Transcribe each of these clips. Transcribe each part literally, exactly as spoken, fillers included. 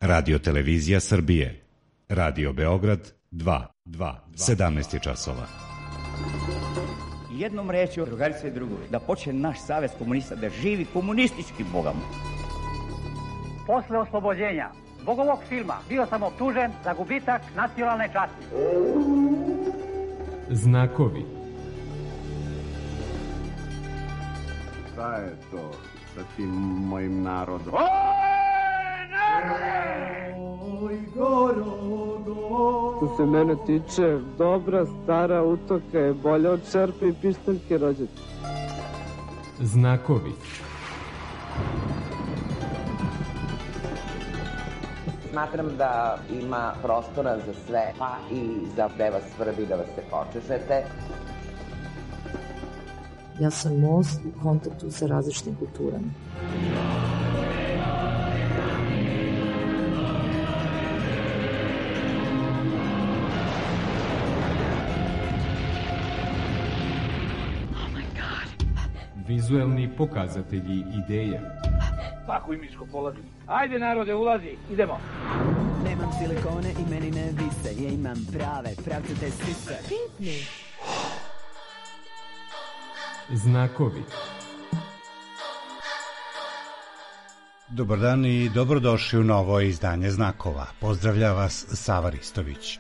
Radio Televizija Srbije. Radio Beograd dva, dva, sedamnaest je časova. Jednom rečju, drugarice i drugovi, da počne naš savez komunista, da živi komunistički Bogom. Posle oslobođenja zbog ovog filma bio sam optužen za gubitak nacionalne časti. Znakovi. Šta je to sa tim mojim narodom? Oj, što se mene tiče, dobra stara utoka je bolja od čerpe i pištaljke rođete. Znakovi. Smatram da ima prostora za sve, pa i za da vas svrbi, da vas se počešete. Ja sam most u kontaktu sa različitim kulturama. Vizuelni pokazatelji ideja. Tako i mi sko polazimo. Ajde narode, ulazi, idemo. Nemam silikone i meni ne vise, ja imam prave, pravcate sise. Pitni. Znakovi. Dobar dan i dobrodošli u novo izdanje Znakova. Pozdravlja vas Sava Ristović.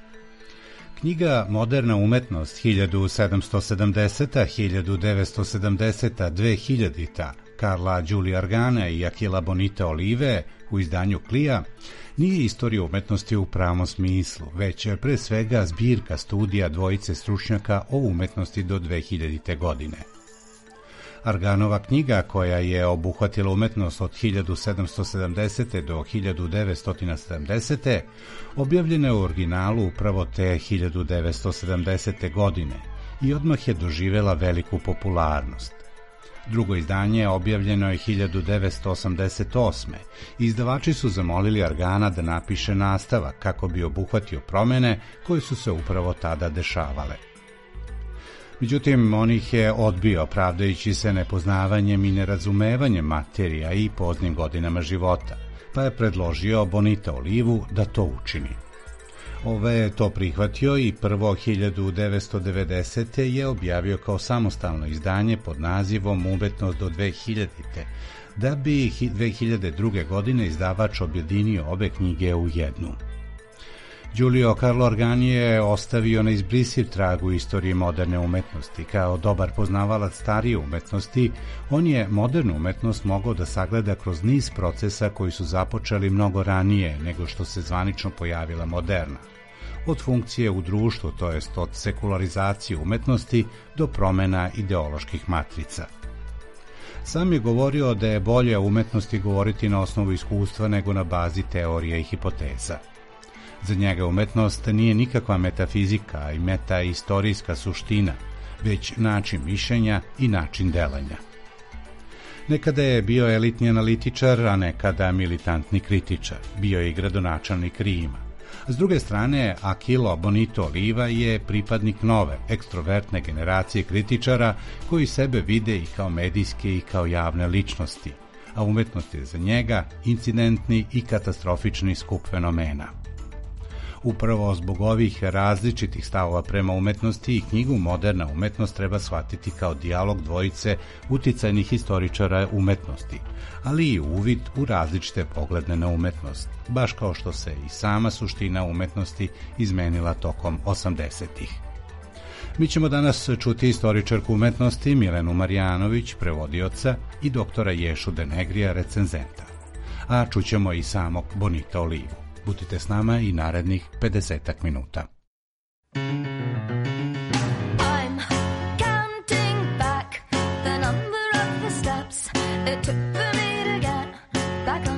Knjiga Moderna umetnost hiljadu sedamsto sedamdeseta, hiljadu devetsto sedamdeseta, dve hiljadita Karla Đulija Argana i Akila Bonita Olive u izdanju Klija nije istorija umetnosti u pravom smislu, već pre svega zbirka studija dvojice stručnjaka o umetnosti do dve hiljadite godine. Arganova knjiga, koja je obuhvatila umetnost od hiljadu sedamsto sedamdesete do hiljadu devetsto sedamdesete, objavljena je u originalu upravo te hiljadu devetsto sedamdesete godine i odmah je doživela veliku popularnost. Drugo izdanje objavljeno je hiljadu devetsto osamdeset osme. Izdavači su zamolili Argana da napiše nastavak kako bi obuhvatio promene koje su se upravo tada dešavale. Međutim, on ih je odbio, pravdajući se nepoznavanjem i nerazumevanjem materija i poznim godinama života, pa je predložio Bonita Olivu da to učini. Ove je to prihvatio i prvo hiljadu devetsto devedesete. je objavio kao samostalno izdanje pod nazivom Umetnost do dve hiljadite, da bi dve hiljade druge. godine izdavač objedinio obe knjige u jednu. Giulio Carlo Argani je ostavio neizbrisiv trag u istoriji moderne umetnosti. Kao dobar poznavalac starije umetnosti, on je modernu umetnost mogao da sagleda kroz niz procesa koji su započeli mnogo ranije nego što se zvanično pojavila moderna. Od funkcije u društvu, to jest od sekularizacije umetnosti do promena ideoloških matrica. Sam je govorio da je bolje o umetnosti govoriti na osnovu iskustva nego na bazi teorija i hipoteza. Za njega umetnost nije nikakva metafizika i metaistorijska suština, već način mišljenja i način delanja. Nekada je bio elitni analitičar, a nekada militantni kritičar. Bio je i gradonačelnik Rima. S druge strane, Akilo Bonito Oliva je pripadnik nove, ekstrovertne generacije kritičara koji sebe vide i kao medijske i kao javne ličnosti, a umetnost je za njega incidentni i katastrofični skup fenomena. Upravo zbog ovih različitih stavova prema umetnosti i knjigu Moderna umetnost treba shvatiti kao dijalog dvojice uticajnih historičara umetnosti, ali i uvid u različite poglede na umetnost, baš kao što se i sama suština umetnosti izmenila tokom osamdesetih. Mi ćemo danas čuti istoričarku umetnosti Milenu Marjanović, prevodioca, i doktora Ješu Denegrija, recenzenta. A čućemo i samog Bonita Olivu. Budite s nama i narednih pedesetak minuta. Taking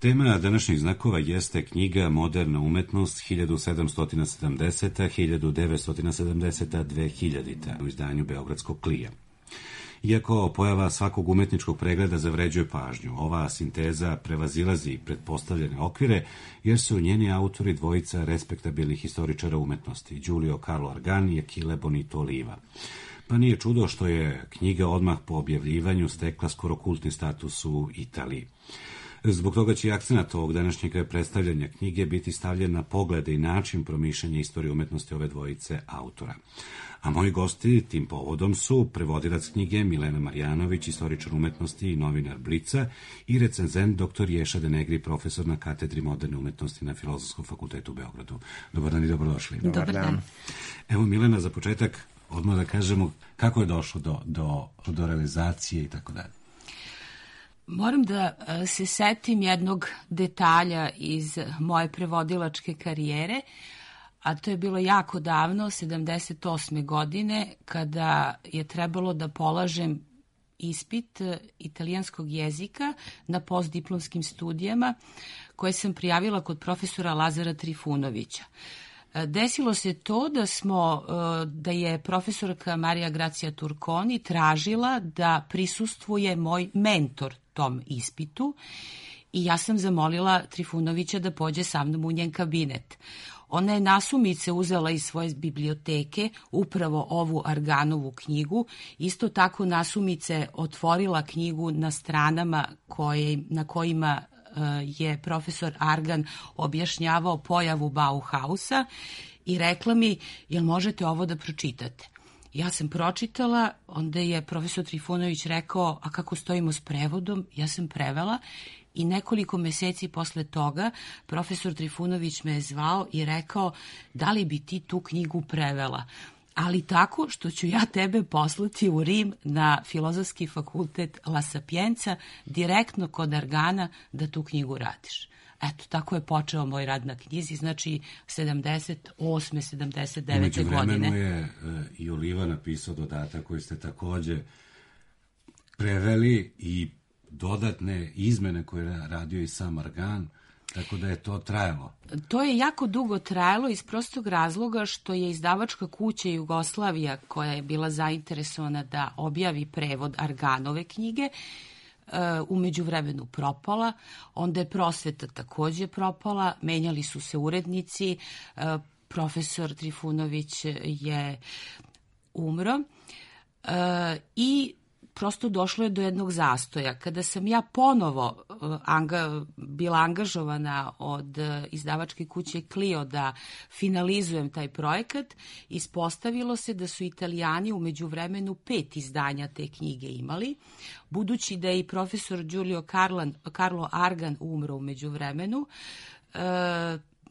Tema današnjih znakova jeste knjiga Moderna umetnost hiljadu sedamsto sedamdeseta do hiljadu devetsto sedamdeseta do dvehiljadite u izdanju Beogradskog klija. Iako pojava svakog umetničkog pregleda zavređuje pažnju, ova sinteza prevazilazi pretpostavljene okvire, jer su njeni autori dvojica respektabilnih historičara umetnosti, Giulio Carlo Argan i Achille Bonito Oliva. Pa nije čudo što je knjiga odmah po objavljivanju stekla skoro kultni status u Italiji. Zbog toga će i akcenat ovog današnjeg predstavljanja knjige biti stavljen na poglede i način promišljanja istorije umetnosti ove dvojice autora. A moji gosti tim povodom su prevodilac knjige Milena Marjanović, istoričar umetnosti i novinar Blica, i recenzent doktor Ješa Denegri, profesor na katedri moderne umetnosti na Filozofskom fakultetu u Beogradu. Dobar dan i dobrodošli. Dobar dan. Evo, Milena, za početak odmah da kažemo kako je došlo do, do, do realizacije i tako dalje. Moram da se setim jednog detalja iz moje prevodilačke karijere, a to je bilo jako davno, sedamdeset osme godine, kada je trebalo da polažem ispit italijanskog jezika na postdiplomskim studijama koje sam prijavila kod profesora Lazara Trifunovića. Desilo se to da smo, da je profesorka Marija Gracija Turconi tražila da prisustvuje moj mentor tom ispitu i ja sam zamolila Trifunovića da pođe sa mnom u njen kabinet. Ona je nasumice uzela iz svoje biblioteke upravo ovu Arganovu knjigu, isto tako nasumice otvorila knjigu na stranama koje, na kojima je profesor Argan objašnjavao pojavu Bauhausa i rekla mi, jel možete ovo da pročitate? Ja sam pročitala, onda je profesor Trifunović rekao, a kako stojimo s prevodom? Ja sam prevela i nekoliko meseci posle toga profesor Trifunović me je zvao i rekao, da li bi ti tu knjigu prevela? Ali tako što ću ja tebe poslati u Rim na Filozofski fakultet La Sapienza, direktno kod Argana da tu knjigu radiš. Eto, tako je počeo moj rad na knjizi, znači sedamdeset osme sedamdeset devete godine. Umeđu vremenu je i Oliva napisao dodatak koji ste takođe preveli i dodatne izmene koje je radio i sam Argan, tako da je to trajalo. To je jako dugo trajalo iz prostog razloga što je izdavačka kuća Jugoslavija, koja je bila zainteresovana da objavi prevod Arganove knjige, u međuvremenu propala, onda je Prosveta takođe propala, menjali su se urednici, profesor Trifunović je umro i prosto došlo je do jednog zastoja. Kada sam ja ponovo anga, bila angažovana od izdavačke kuće Clio da finalizujem taj projekat, ispostavilo se da su Italijani u međuvremenu pet izdanja te knjige imali. Budući da je i profesor Giulio Carlan, Carlo Argan umro u međuvremenu,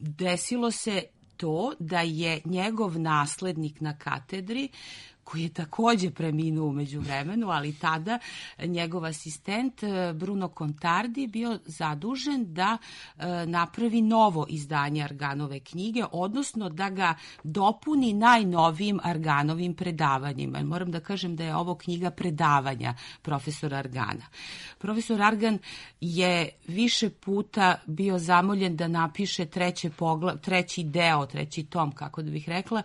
desilo se to da je njegov naslednik na katedri, koji je takođe preminuo u međuvremenu, ali tada njegov asistent Bruno Contardi bio zadužen da napravi novo izdanje Arganove knjige, odnosno da ga dopuni najnovijim Arganovim predavanjima. Moram da kažem da je ovo knjiga predavanja profesora Argana. Profesor Argan je više puta bio zamoljen da napiše treće pogla, treći deo, treći tom, kako da bih rekla,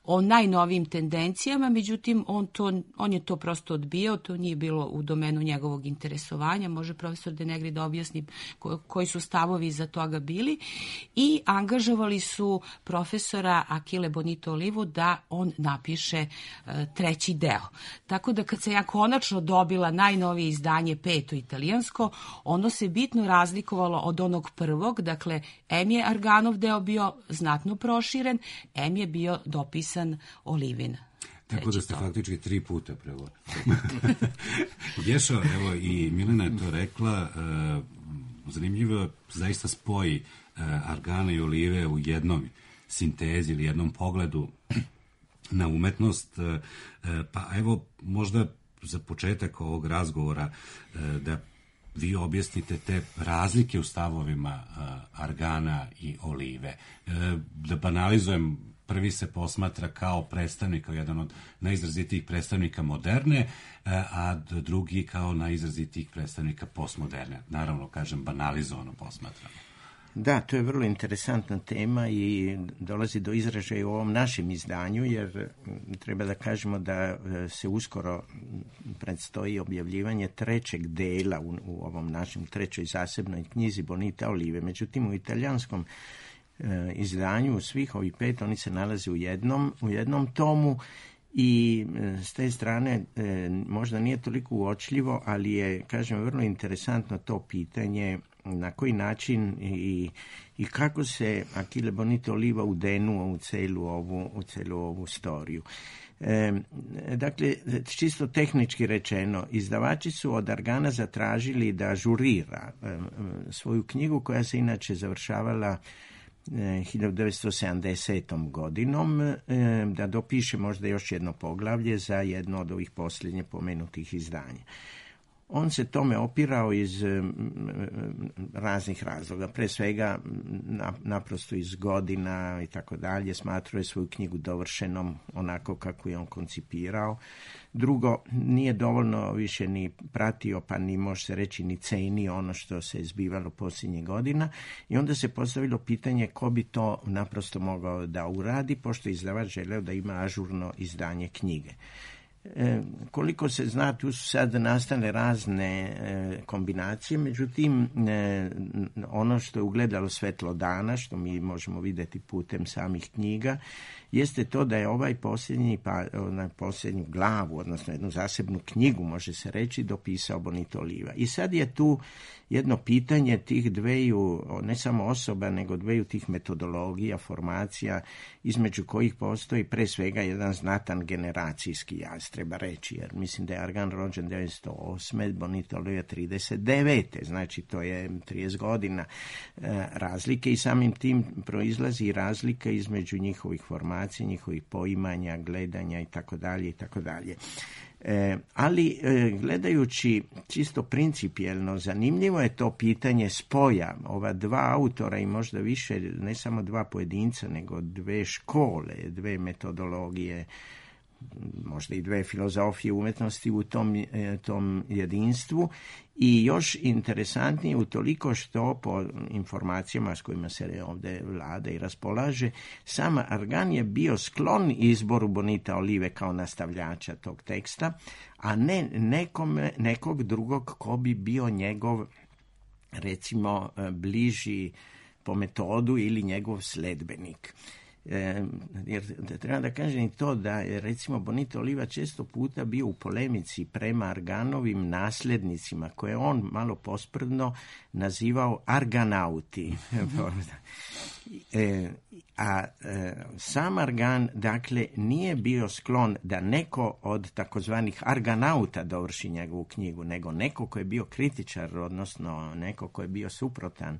o najnovijim tendencijama, međutim on, to, on je to prosto odbijao, to nije bilo u domenu njegovog interesovanja, može profesor Denegri da objasni ko, koji su stavovi iza toga bili, i angažovali su profesora Achille Bonito Olivu da on napiše uh, treći deo. Tako da kad se ja konačno dobila najnovije izdanje, peto italijansko, ono se bitno razlikovalo od onog prvog, dakle em je Arganov deo bio znatno proširen, em je bio dopisan Olivina. Tako da ste faktički tri puta prevodili. Ješo, evo i Milena je to rekla, uh, zanimljivo zaista spoji uh, Argana i Olive u jednom sintezi ili jednom pogledu na umetnost, uh, pa evo možda za početak ovog razgovora uh, da vi objasnite te razlike u stavovima uh, Argana i Olive. Uh, da banalizujem prvi se posmatra kao predstavnik, kao jedan od najizrazitijih predstavnika moderne, a drugi kao najizrazitijih predstavnika postmoderne. Naravno, kažem, banalizovano posmatrano. Da, to je vrlo interesantna tema i dolazi do izražaja u ovom našem izdanju, jer treba da kažemo da se uskoro predstoji objavljivanje trećeg dela u, u ovom našem trećoj zasebnoj knjizi Bonita Olive. Međutim, u italijanskom e, izdanju svih ovih pet oni se nalaze u jednom, u jednom tomu i s te strane e, možda nije toliko uočljivo, ali je, kažem, vrlo interesantno to pitanje na koji način i, i kako se Achille Bonito Oliva udenuo u celu ovu, u celu ovu storiju. E, dakle, čisto tehnički rečeno, izdavači su od Argana zatražili da ažurira e, svoju knjigu koja se inače završavala hiljadu devetsto sedamdesetom godinom, e, da dopiše možda još jedno poglavlje za jedno od ovih posljednje pomenutih izdanja. On se tome opirao iz raznih razloga, pre svega naprosto iz godina i tako dalje, smatrao je svoju knjigu dovršenom onako kako je on koncipirao. Drugo, nije dovoljno više ni pratio, pa ni može se reći ni cenio ono što se zbivalo posljednjih godina i onda se postavilo pitanje ko bi to naprosto mogao da uradi, pošto je izdavač želeo da ima ažurno izdanje knjige. E, koliko se zna, tu su sad nastale razne e, kombinacije, međutim e, ono što je ugledalo svetlo dana, što mi možemo vidjeti putem samih knjiga, jeste to da je ovaj posljednji, pa onaj posljednju glavu, odnosno jednu zasebnu knjigu, može se reći, dopisao Bonito Oliva. I sad je tu jedno pitanje tih dveju, ne samo osoba, nego dveju tih metodologija, formacija, između kojih postoji pre svega jedan znatan generacijski jaz, treba reći, jer mislim da je Argan rođen devetsto osme, Bonito Oliva trideset devete, znači to je trideset godina e, razlike i samim tim proizlazi razlika između njihovih formacija, njihovih poimanja, gledanja i tako dalje i tako dalje. E, ali e, gledajući čisto principijelno, zanimljivo je to pitanje spoja ova dva autora i možda više, ne samo dva pojedinca, nego dve škole, dve metodologije, možda i dve filozofije umetnosti u tom, e, tom jedinstvu i još interesantnije utoliko što po informacijama s kojima se ovdje vlada i raspolaže, sam Argan je bio sklon izboru Bonita Olive kao nastavljača tog teksta, a ne nekome, nekog drugog ko bi bio njegov, recimo, bliži po metodu ili njegov sledbenik. E, jer treba da kažem i to da je recimo Bonito Oliva često puta bio u polemici prema Arganovim nasljednicima koje on malo posprdno nazivao arganauti. e, a e, sam Argan dakle nije bio sklon da neko od takozvanih arganauta dovrši njegovu knjigu, nego neko ko je bio kritičar, odnosno neko ko je bio suprotan.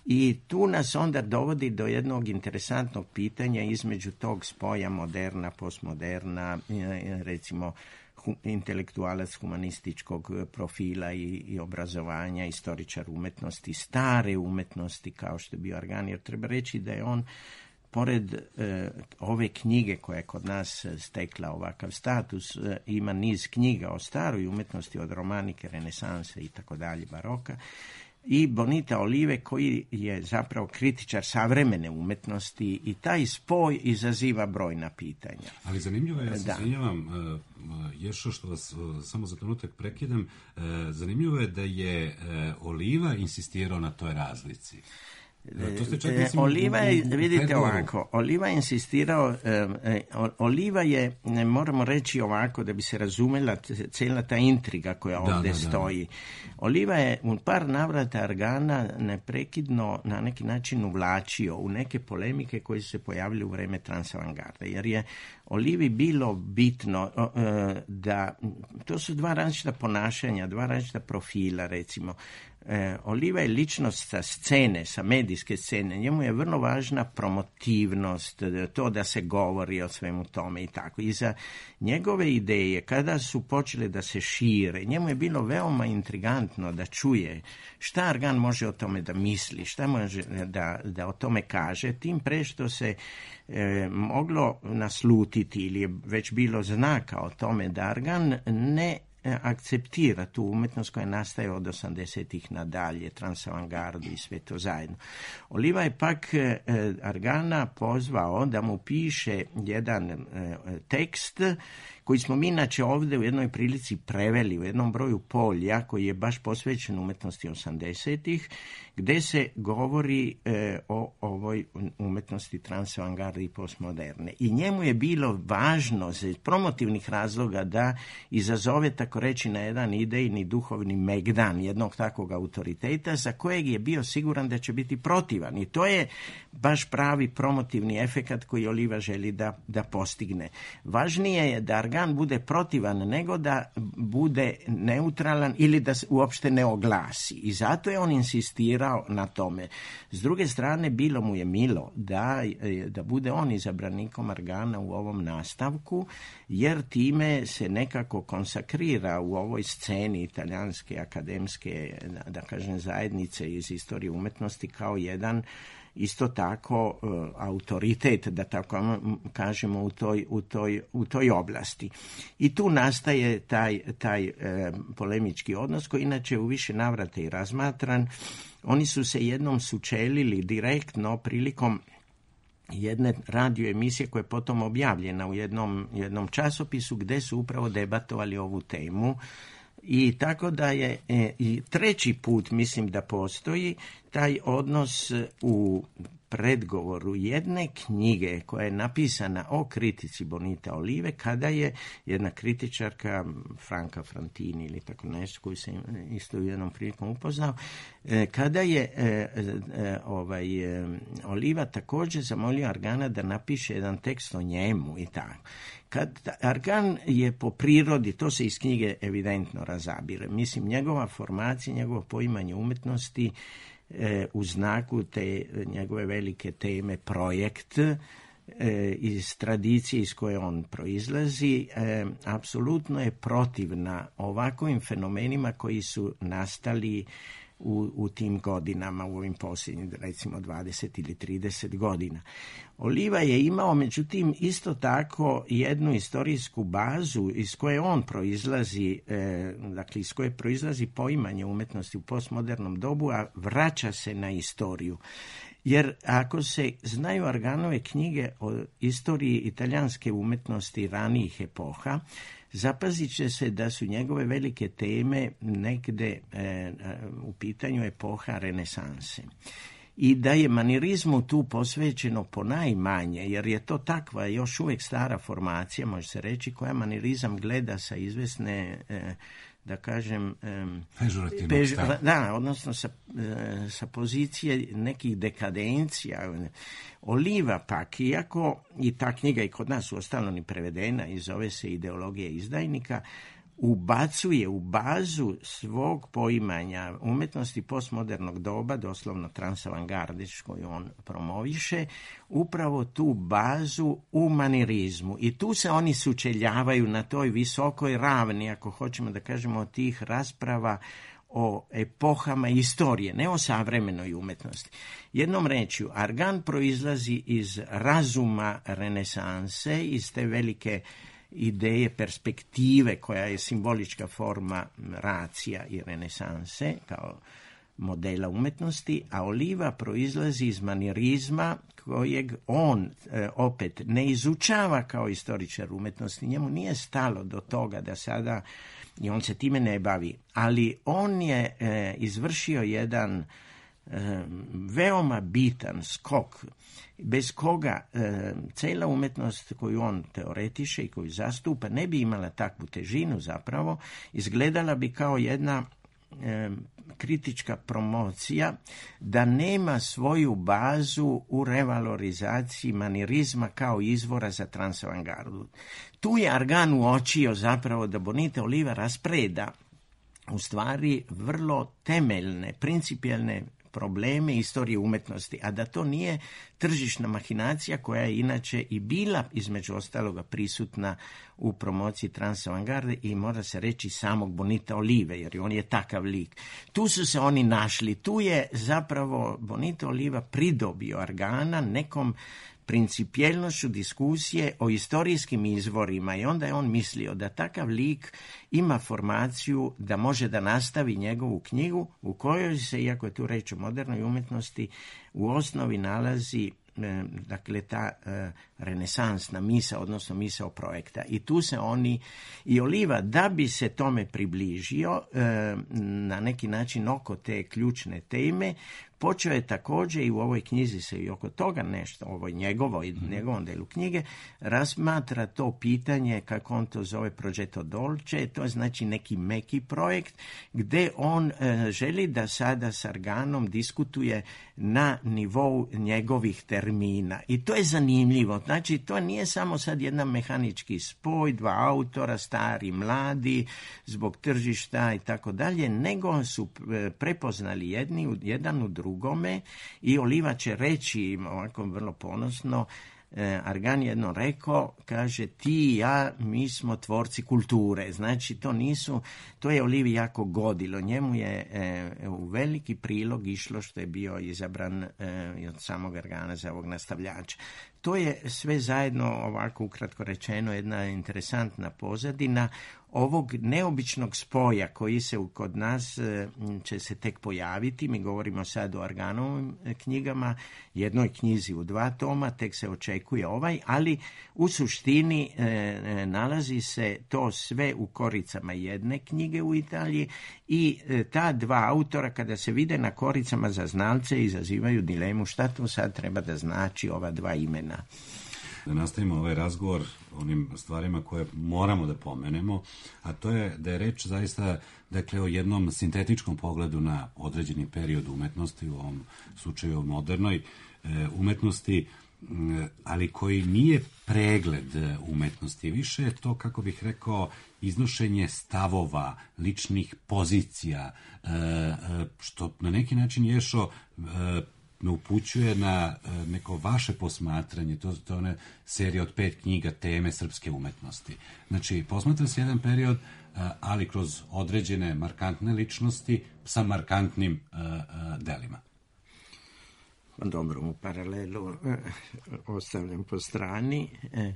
I tu nas onda dovodi do jednog interesantnog pitanja između tog spoja moderna, postmoderna, recimo intelektualac humanističkog profila i, i obrazovanja, istoričar umetnosti, stare umetnosti kao što je bio Argan, jer treba reći da je on pored e, ove knjige koja je kod nas stekla ovakav status, e, ima niz knjiga o staroj umetnosti, od romanike, renesanse i tako dalje, baroka, i Bonita Olive koji je zapravo kritičar savremene umetnosti i taj spoj izaziva brojna pitanja. Ali zanimljivo je, ja se izvinjavam, Jeršo, što vas samo za trenutak prekidam, zanimljivo je da je Oliva insistirao na toj razlici. E, Oliva je, vidite ovako, Oliva je insistirao, e, e, Oliva je, ne moramo reći ovako da bi se razumela cijela ta intriga koja ovdje da, da, stoji. Da. Oliva je u par navrata Argana neprekidno na neki način uvlačio u neke polemike koje su se pojavile u vreme transavangarde, jer je Olivi bilo bitno e, da, to su dva različita ponašanja, dva različita profila, recimo. E, Oliva je ličnost sa scene, sa medijske scene. Njemu je vrlo važna promotivnost, to da se govori o svemu tome i tako. I za njegove ideje, kada su počele da se šire, njemu je bilo veoma intrigantno da čuje šta Argan može o tome da misli, šta može da, da o tome kaže, tim pre što se e, moglo naslutiti ili je već bilo znaka o tome da Argan ne akceptira tu umetnost koja nastaje od osamdesetih nadalje, transavangardu i sve to zajedno. Oliva je pak e, Argana pozvao da mu piše jedan e, tekst koji smo mi inače ovdje u jednoj prilici preveli u jednom broju polja koji je baš posvećen umetnosti osamdesetih, gde se govori e, o ovoj umetnosti transavangarde i postmoderne. I njemu je bilo važno iz promotivnih razloga da izazove, tako reći, na jedan idejni duhovni megdan jednog takvog autoriteta za kojeg je bio siguran da će biti protivan. I to je baš pravi promotivni efekat koji Oliva želi da, da postigne. Važnije je da Argan bude protivan nego da bude neutralan ili da se uopšte ne oglasi. I zato je on insistirao na tome. S druge strane, bilo mu je milo da, da bude on izabranikom Argana u ovom nastavku, jer time se nekako konsakrira u ovoj sceni italijanske akademske, da kažem, zajednice iz istorije umetnosti kao jedan isto tako uh, autoritet, da tako kažemo, u toj, u toj, u toj oblasti. I tu nastaje taj, taj uh, polemički odnos koji inače u više navrata i razmatran. Oni su se jednom sučelili direktno prilikom jedne radio emisije koja je potom objavljena u jednom, jednom časopisu gde su upravo debatovali ovu temu. I tako da je e, i treći put, mislim da postoji taj odnos u predgovoru jedne knjige koja je napisana o kritici Bonita Olive, kada je jedna kritičarka, Franca Frantini ili tako nešto, koju sam isto u jednom prilikom upoznao, e, kada je e, e, ovaj, e, Oliva također zamolio Argana da napiše jedan tekst o njemu i tako. Kad Argan je po prirodi, to se iz knjige evidentno razabire, mislim, njegova formacija, njegovo poimanje umetnosti e, u znaku te njegove velike teme projekt e, iz tradicije iz koje on proizlazi, e, apsolutno je protivna ovakvim fenomenima koji su nastali U, u tim godinama, u ovim posljednjim, recimo dvadeset ili trideset godina. Oliva je imao, međutim, isto tako jednu istorijsku bazu iz koje on proizlazi, e, dakle iz koje proizlazi poimanje umetnosti u postmodernom dobu, a vraća se na istoriju. Jer ako se znaju Arganove knjige o istoriji italijanske umetnosti ranijih epoha, zapazit će se da su njegove velike teme negde e, u pitanju epoha renesanse. I da je manirizmu tu posvećeno ponajmanje, jer je to takva još uvijek stara formacija, može se reći, koja manirizam gleda sa izvesne, e, da kažem, pežurativnog pež, stava. Da, odnosno sa, sa pozicije nekih dekadencija. Oliva pak, iako i ta knjiga i kod nas uostalom ni prevedena i zove se Ideologija izdajnika, ubacuje u bazu svog poimanja umetnosti postmodernog doba, doslovno transavangarde, koju on promoviše, upravo tu bazu u manirizmu. I tu se oni sučeljavaju na toj visokoj ravni, ako hoćemo da kažemo, od tih rasprava o epohama istorije, ne o savremenoj umetnosti. Jednom rečju, Argan proizlazi iz razuma renesanse, iz te velike ideje perspektive koja je simbolička forma racija i renesanse kao modela umetnosti, a Oliva proizlazi iz manirizma kojeg on e, opet ne izučava kao istoričar umetnosti. Njemu nije stalo do toga da sada, i on se time ne bavi, ali on je e, izvršio jedan e, veoma bitan skok bez koga e, cela umetnost koju on teoretiše i koju zastupa ne bi imala takvu težinu zapravo, izgledala bi kao jedna e, kritička promocija da nema svoju bazu u revalorizaciji manirizma kao izvora za transavangardu. Tu je Argan uočio zapravo da Bonita Oliva raspreda u stvari vrlo temeljne, principijelne probleme istorije umetnosti, a da to nije tržišna mahinacija koja je inače i bila između ostaloga prisutna u promociji transavangarde i mora se reći samog Bonita Olive, jer on je takav lik. Tu su se oni našli, tu je zapravo Bonito Oliva pridobio Argana nekom principijelnošću diskusije o historijskim izvorima i onda je on mislio da takav lik ima formaciju da može da nastavi njegovu knjigu u kojoj se, iako je tu reč o modernoj umjetnosti, u osnovi nalazi dakle ta e, renesansna misa, odnosno misao projekta. I tu se oni, i Oliva, da bi se tome približio e, na neki način oko te ključne teme, počeo je također i u ovoj knjizi se i oko toga nešto, ovoj njegovoj, mm-hmm. njegovom delu knjige, razmatra to pitanje, kako on to zove, Progetto Dolce, to je znači neki meki projekt, gdje on e, želi da sada s Arganom diskutuje na nivou njegovih termina. I to je zanimljivo. Znači, to nije samo sad jedan mehanički spoj, dva autora, stari, mladi, zbog tržišta i tako dalje, nego su prepoznali jedni, jedan u drugome i Oliva će reći, ovako vrlo ponosno, Argan jedno rekao, kaže, ti i ja, mi smo tvorci kulture. Znači, to nisu, to je Olivi jako godilo. Njemu je e, u veliki prilog išlo što je bio izabran e, od samog Argana za ovog nastavljača. To je sve zajedno, ovako ukratko rečeno, jedna interesantna pozadina ovog neobičnog spoja koji se kod nas će se tek pojaviti. Mi govorimo sad o Arganovim knjigama, jednoj knjizi u dva toma, tek se očekuje ovaj, ali u suštini e, nalazi se to sve u koricama jedne knjige u Italiji i e, ta dva autora kada se vide na koricama za znalce izazivaju dilemu šta to sad treba da znači ova dva imena. Da nastavimo ovaj razgovor onim stvarima koje moramo da pomenemo, a to je da je reč zaista, dakle, o jednom sintetičkom pogledu na određeni period umetnosti, u ovom slučaju modernoj e, umetnosti, ali koji nije pregled umetnosti. Više je to, kako bih rekao, iznošenje stavova, ličnih pozicija, e, što na neki način Ješo e, me upućuje na neko vaše posmatranje, to, to je one serije od pet knjiga teme srpske umetnosti. Znači, posmatra se jedan period, ali kroz određene markantne ličnosti sa markantnim uh, uh, delima. Dobro, u paralelu eh, ostavljam po strani. Eh,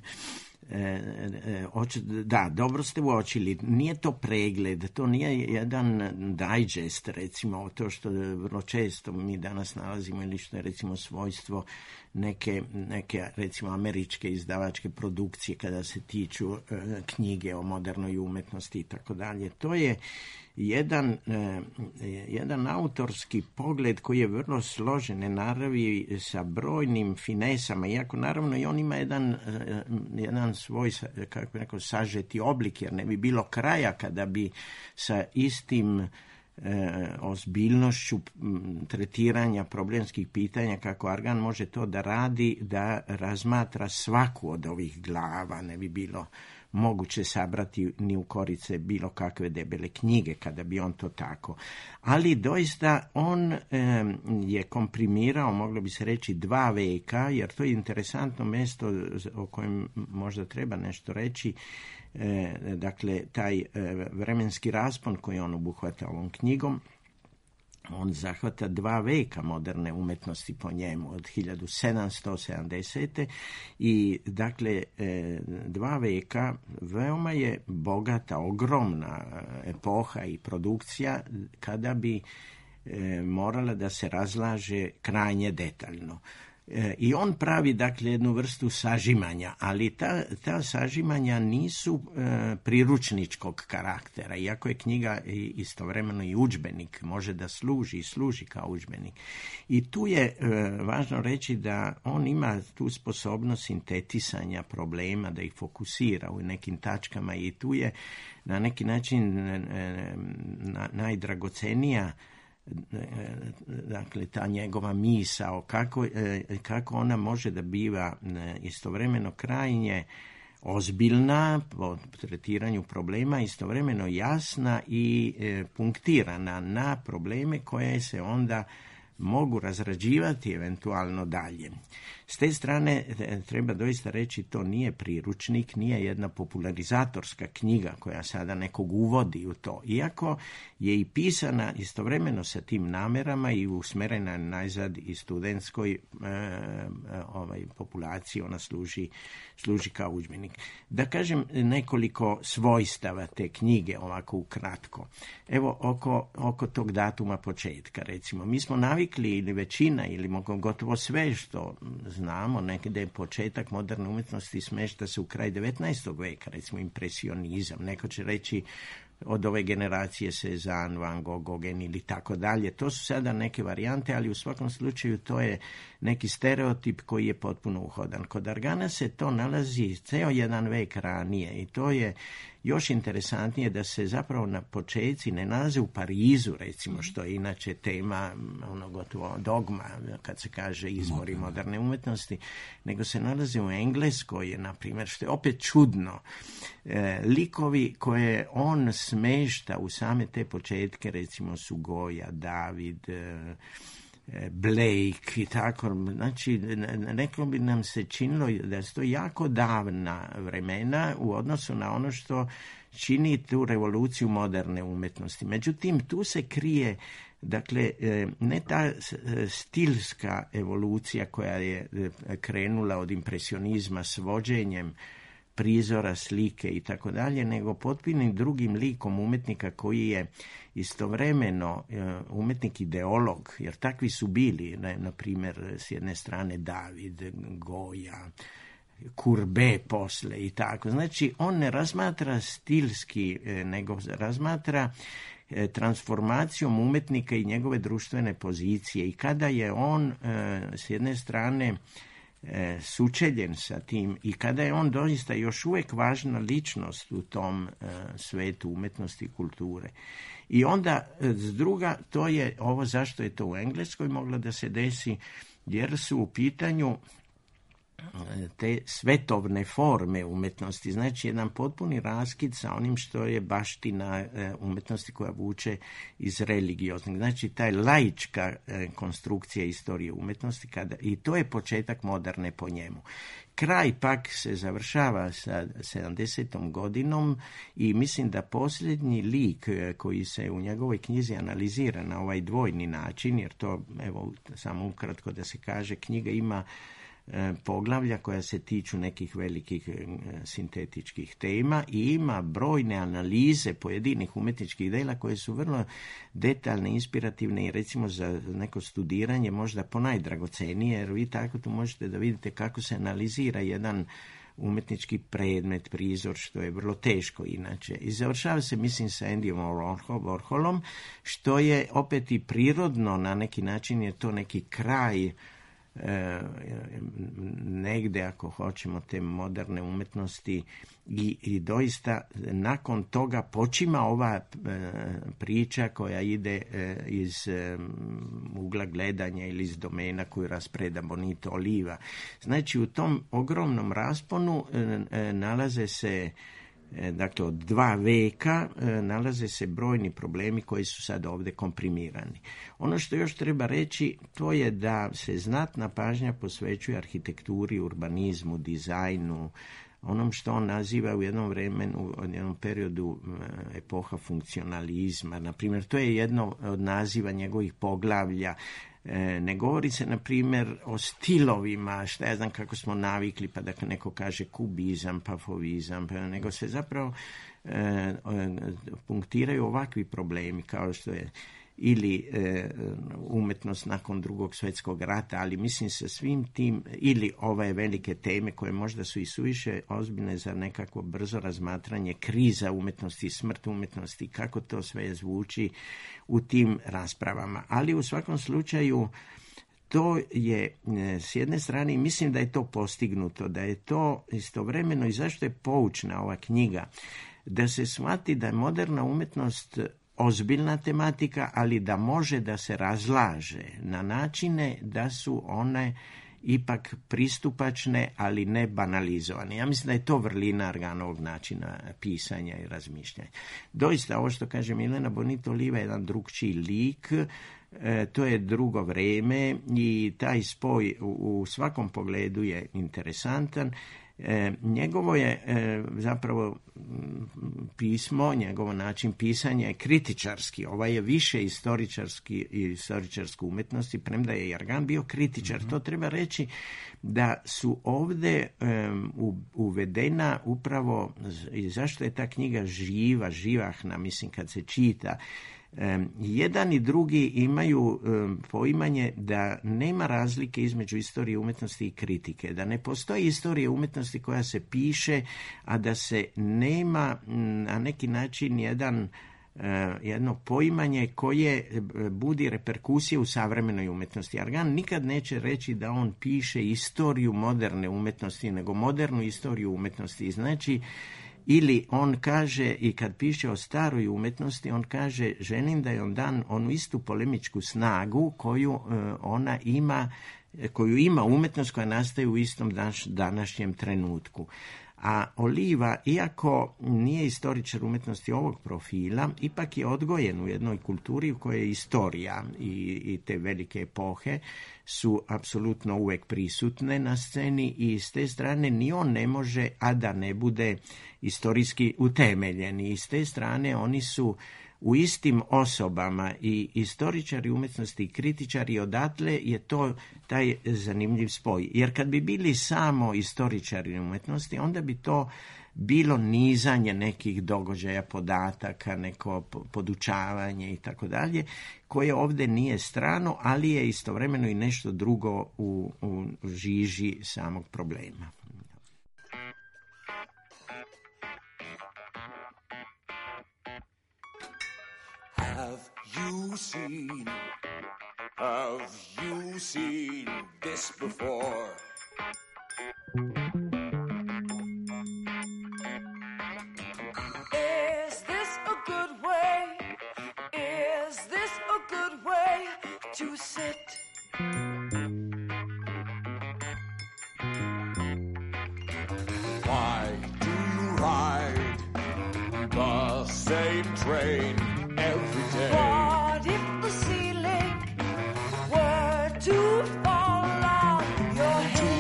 eh, eh, oči, da, dobro ste uočili. Nije to pregled, to nije jedan digest, recimo, to što vrlo često mi danas nalazimo ili što je, recimo, svojstvo neke, neke recimo, američke izdavačke produkcije kada se tiču eh, knjige o modernoj umetnosti i tako dalje. To je jedan, eh, jedan autorski pogled koji je vrlo složene naravi sa brojnim finesama, iako naravno i on ima jedan, eh, jedan svoj, kako bi rekao, sažeti oblik, jer ne bi bilo kraja kada bi sa istim E, ozbiljnošću tretiranja problemskih pitanja kako Argan može to da radi, da razmatra svaku od ovih glava. Ne bi bilo moguće sabrati ni u korice bilo kakve debele knjige kada bi on to tako. Ali doista on e, je komprimirao, moglo bi se reći, dva veka, jer to je interesantno mjesto o kojem možda treba nešto reći. E, dakle, taj e, vremenski raspon koji on obuhvata ovom knjigom, on zahvata dva veka moderne umetnosti po njemu, od hiljadu sedamsto sedamdesete i dakle e, dva veka veoma je bogata, ogromna epoha i produkcija kada bi e, morala da se razlaže krajnje detaljno. I on pravi, dakle, jednu vrstu sažimanja, ali ta, ta sažimanja nisu e, priručničkog karaktera, iako je knjiga istovremeno i udžbenik, može da služi i služi kao udžbenik. I tu je e, važno reći da on ima tu sposobnost sintetisanja problema, da ih fokusira u nekim tačkama i tu je na neki način e, na, najdragocenija dakle ta njegova misao kako, kako ona može da biva istovremeno krajnje ozbiljna po tretiranju problema, istovremeno jasna i e, punktirana na probleme koje se onda mogu razrađivati eventualno dalje. S te strane treba doista reći, to nije priručnik, nije jedna popularizatorska knjiga koja sada nekog uvodi u to, iako je i pisana istovremeno sa tim namerama i usmerena najzad i studentskoj e, ovaj, populaciji, ona služi, služi kao udžbenik. Da kažem nekoliko svojstava te knjige, ovako ukratko. Evo, oko, oko tog datuma početka, recimo, mi smo navikli, ili većina, ili gotovo sve što znamo, negdje početak moderne umjetnosti smješta se u kraj devetnaestog veka, recimo impresionizam. Neko će reći od ove generacije Cezanne, Van Gogh, Gauguin ili tako dalje. To su sada neke varijante, ali u svakom slučaju to je neki stereotip koji je potpuno uhodan. Kod Argana se to nalazi ceo jedan vek ranije i to je još interesantnije da se zapravo na početci ne nalaze u Parizu, recimo, što je inače tema, ono gotovo dogma, kad se kaže izvori moderne umjetnosti, nego se nalaze u Engleskoj, na primjer, što je opet čudno. E, likovi koje on smešta u same te početke, recimo su Goya, David, e, Blake i tako, znači reklo bi nam se činilo da su to jako davna vremena u odnosu na ono što čini tu revoluciju moderne umjetnosti. Međutim, tu se krije, dakle, ne ta stilska evolucija koja je krenula od impresionizma s vođenjem prizora, slike i tako dalje, nego potpunim drugim likom umjetnika koji je istovremeno umjetnik ideolog, jer takvi su bili, na primjer, s jedne strane David, Goya, Courbet posle i tako. Znači, on ne razmatra stilski, nego razmatra transformacijom umjetnika i njegove društvene pozicije. I kada je on s jedne strane E, sučeljen sa tim i kada je on doista još uvijek važna ličnost u tom e, svetu umjetnosti i kulture. I onda s druga, to je ovo zašto je to u Engleskoj moglo da se desi, jer su u pitanju te svetovne forme umjetnosti, znači jedan potpuni raskid sa onim što je baština umjetnosti koja vuče iz religioznih. Znači taj laička konstrukcija istorije umjetnosti, kada, i to je početak moderne po njemu. Kraj pak se završava sa sedamdesetom godinom i mislim da posljednji lik koji se u njegovoj knjizi analizira na ovaj dvojni način, jer to, evo, samo ukratko da se kaže, knjiga ima poglavlja koja se tiču nekih velikih sintetičkih tema i ima brojne analize pojedinih umjetničkih dela koje su vrlo detaljne, inspirativne i recimo za neko studiranje možda ponajdragocenije, jer vi tako tu možete da vidite kako se analizira jedan umjetnički predmet, prizor, što je vrlo teško inače. I završava se, mislim, sa Andyom Warholom, što je opet i prirodno, na neki način je to neki kraj E, negde, ako hoćemo, te moderne umjetnosti i, i doista nakon toga počima ova e, priča koja ide e, iz e, ugla gledanja ili iz domena koju raspreda Bonito Oliva. Znači, u tom ogromnom rasponu e, e, nalaze se, dakle, od dva veka nalaze se brojni problemi koji su sad ovdje komprimirani. Ono što još treba reći, to je da se znatna pažnja posvećuje arhitekturi, urbanizmu, dizajnu, onom što on naziva u jednom vremenu, u jednom periodu epoha funkcionalizma. Na primjer, to je jedno od naziva njegovih poglavlja. Ne govori se, na primjer, o stilovima, šta ja znam kako smo navikli, pa da neko kaže kubizam, pa fovizam, pa, nego se zapravo e, punktiraju ovakvi problemi kao što je ili e, umjetnost nakon drugog svjetskog rata, ali mislim sa svim tim, ili ove velike teme koje možda su i suviše ozbiljne za nekako brzo razmatranje, kriza umjetnosti, smrt umjetnosti, kako to sve zvuči u tim raspravama. Ali u svakom slučaju to je s jedne strane, mislim da je to postignuto, da je to istovremeno, i zašto je poučna ova knjiga, da se shvati da je moderna umjetnost ozbiljna tematika, ali da može da se razlaže na načine da su one ipak pristupačne, ali ne banalizovane. Ja mislim da je to vrlina Arganovog načina pisanja i razmišljanja. Doista, ovo što kaže Milena Bonito Oliva je jedan drugčiji lik, e, to je drugo vreme i taj spoj u, u svakom pogledu je interesantan. E, njegovo je e, zapravo pismo, njegovo način pisanja je kritičarski, ovaj je više istoričarski i istoričarske umetnosti, premda je Argan bio kritičar. Mm-hmm. To treba reći da su ovde um, uvedena upravo, i zašto je ta knjiga živa, živahna, mislim kad se čita, Um, jedan i drugi imaju um, poimanje da nema razlike između istorije umetnosti i kritike, da ne postoji istorija umetnosti koja se piše, a da se nema m, na neki način jedan uh, jedno poimanje koje budi reperkusije u savremenoj umetnosti. Argan nikad neće reći da on piše istoriju moderne umetnosti, nego modernu istoriju umetnosti. Znači, ili on kaže, i kad piše o staroj umetnosti, on kaže, želim da je on dan onu istu polemičku snagu koju uh, ona ima, koju ima umetnost koja nastaje u istom daš, današnjem trenutku. A Oliva, iako nije istoričar umetnosti ovog profila, ipak je odgojen u jednoj kulturi u kojoj je istorija i, i te velike epohe su apsolutno uvek prisutne na sceni i s te strane ni on ne može, a da ne bude istorijski utemeljen. I s te strane oni su u istim osobama i istoričari umetnosti i kritičari, odatle je to taj zanimljiv spoj. Jer kad bi bili samo istoričari umetnosti, onda bi to bilo nizanje nekih događaja, podataka, neko podučavanje i tako dalje, koje ovde nije strano, ali je istovremeno i nešto drugo u, u žiži samog problema. Have you seen, have you seen this before? Is this a good way? Is this a good way to sit? Why do you ride the same train every day? What if the ceiling were to fall on your head? Do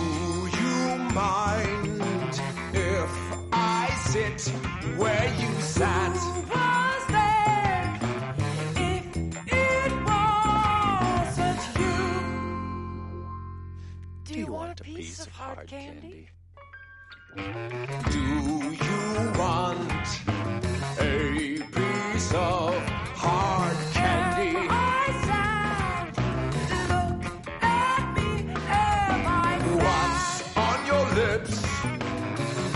you mind if I sit where you sat? Who was there if it wasn't you? Do you want a piece of hard candy? Do you want a piece of hard candy? Am I sad? Look at me, am I sad? What's on your lips?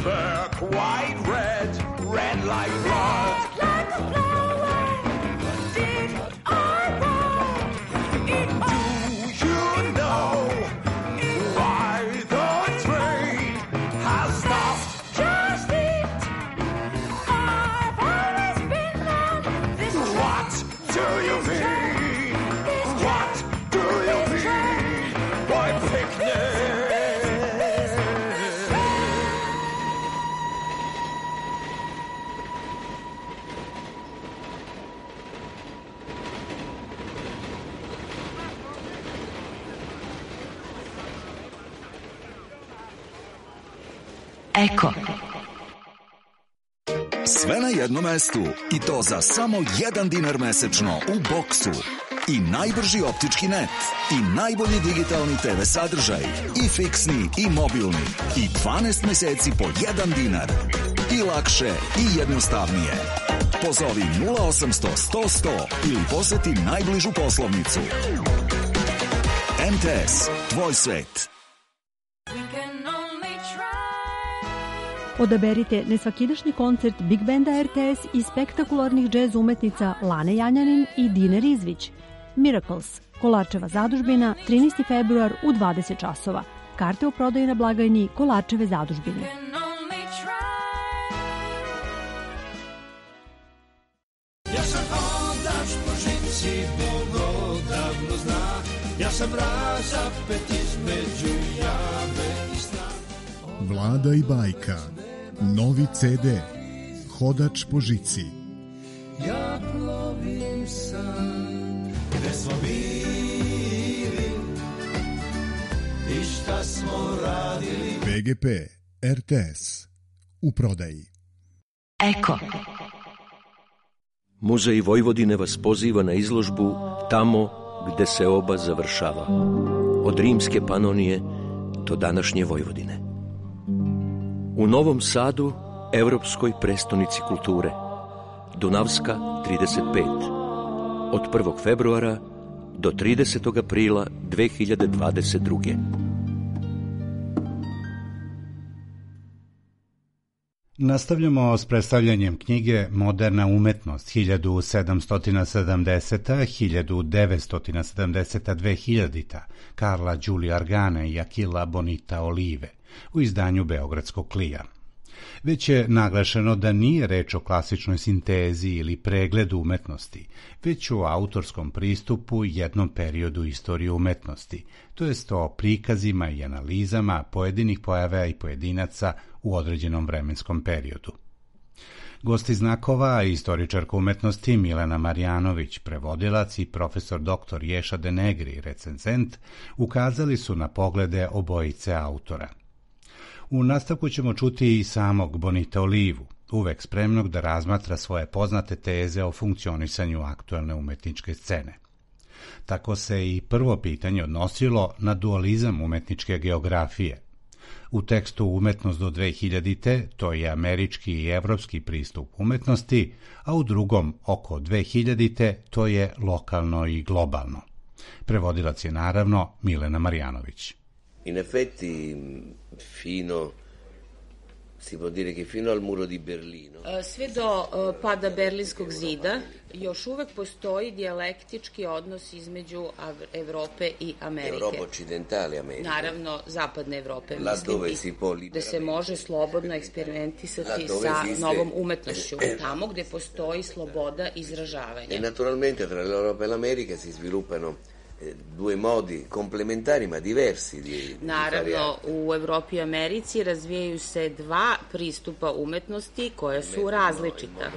They're quite red, red like blood. Red like a flower. Did I want it all? Do you know why the train has stopped? Just it. I've always been on this train. What do you mean? What do you mean by picnic? Eko. Sve na jednom mestu i to za samo jedan dinar mesečno u Boksu. I najbrži optički net, i najbolji digitalni te ve sadržaj, i fiksni i mobilni, i dvanaest meseci po jedan dinar. I lakše i jednostavnije. Pozovi nula osamsto sto sto ili poseti najbližu poslovnicu. em te es, tvoj svet. Odaberite nesvakidašnji koncert Big Banda er te es i spektakularnih džez umetnica Lane Janjanin i Dine Rizvić. Miracles, Kolarčeva zadužbina, trinaesti februar u dvadeset časova. Karte u prodaju na blagajni Kolarčeve zadužbine. Ja sam hodač po žici, Bog odavno zna. Ja sam razapet iz među jame i strane. Vlada i bajka. Novi ce de. Hodač po žici. Ja plovim sam, gde smo bili i šta smo radili. be ge pe, er te es, u prodaji. Eko. Muzej Vojvodine vas poziva na izložbu Tamo gde se oba završava. Od rimske Panonije do današnje Vojvodine. U Novom Sadu, evropskoj prestonici kulture. Dunavska trideset pet. Od prvog februara do tridesetog aprila dve hiljade dvadeset druge. Nastavljamo s predstavljanjem knjige Moderna umetnost hiljadu sedamsto sedamdeseta do hiljadu devetsto sedamdeseta dve hiljadita Karla Đulija Argana i Akila Bonita Olive u izdanju Beogradskog klija. Već je naglašeno da nije reč o klasičnoj sintezi ili pregledu umetnosti, već o autorskom pristupu jednom periodu istorije umetnosti, to jest o prikazima i analizama pojedinih pojava i pojedinaca u određenom vremenskom periodu. Gosti znakova, istoričarka umetnosti Milena Marjanović, prevodilac i profesor doktor Ješa Denegri, recenzent, ukazali su na poglede obojice autora. U nastavku ćemo čuti i samog Bonita Olivu, uvek spremnog da razmatra svoje poznate teze o funkcionisanju aktuelne umetničke scene. Tako se i prvo pitanje odnosilo na dualizam umetničke geografije. U tekstu Umetnost do dve hiljadite to je američki i evropski pristup umetnosti, a u drugom oko dve hiljadite to je lokalno i globalno. Prevodilac je naravno Milena Marjanović. In effetti, fino, si può dire che fino al muro di Berlino. Sve do pada Berlinskog zida još uvek postoji dijalektički odnos između Evrope i Amerike. Europa occidentale Amerika. Naravno, zapadne Evrope, mislim, da se može slobodno eksperimentisati sa novom umetnošću, tamo gde postoji sloboda izražavanja. E naturalmente tra l'Europa e l'America si sviluppano due modi complementari ma diversi di Naravno, u Evropi i Americi razvijaju se dva pristupa umetnosti koja su različita.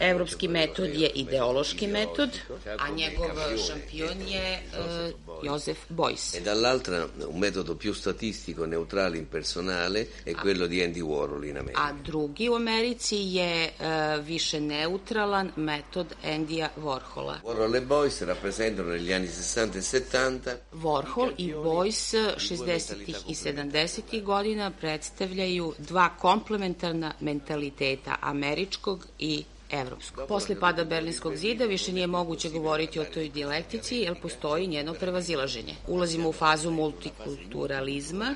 Evropski metod je ideološki metod, a njegov šampion je uh, Joseph Beuys. E dall'altra un metodo più statistico, neutrale, impersonale è quello di Andy Warhol in America. A drugi u Americi je uh, više neutralan metod Andyja Warhola. Warhol e Beuys rappresentano negli anni sessanta e settanta. Warhol i Beuys šezdesetih i sedamdesetih godina predstavljaju dva komplementarna mentaliteta, američkog i evropskog. Posle pada Berlinskog zida više nije moguće govoriti o toj dijalektici, jer postoji njeno prevazilaženje. Ulazimo u fazu multikulturalizma,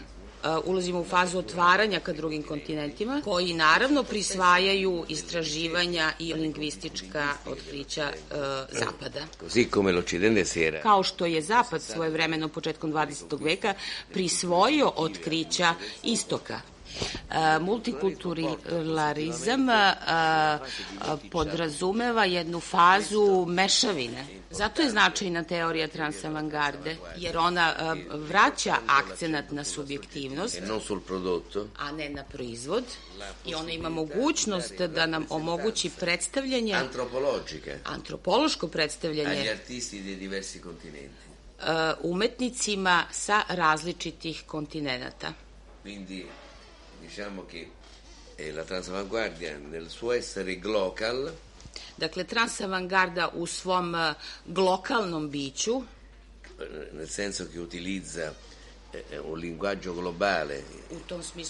ulazimo u fazu otvaranja ka drugim kontinentima, koji naravno prisvajaju istraživanja i lingvistička otkrića uh, Zapada. Kao što je Zapad svojevremeno početkom dvadesetog veka prisvojio otkrića Istoka. Uh, multikulturalizam uh, uh, podrazumeva jednu fazu mešavine. Zato je značajna teorija transavangarde, jer ona uh, vraća akcenat na subjektivnost, a ne na proizvod, i ona ima mogućnost da nam omogući predstavljanje, antropološko predstavljanje uh, umetnicima sa različitih kontinenata. Diciamo che la transavanguardia nel suo essere glocal, dakle transavangarda u svom glokalnom biću, nel senso che utilizza un linguaggio globale,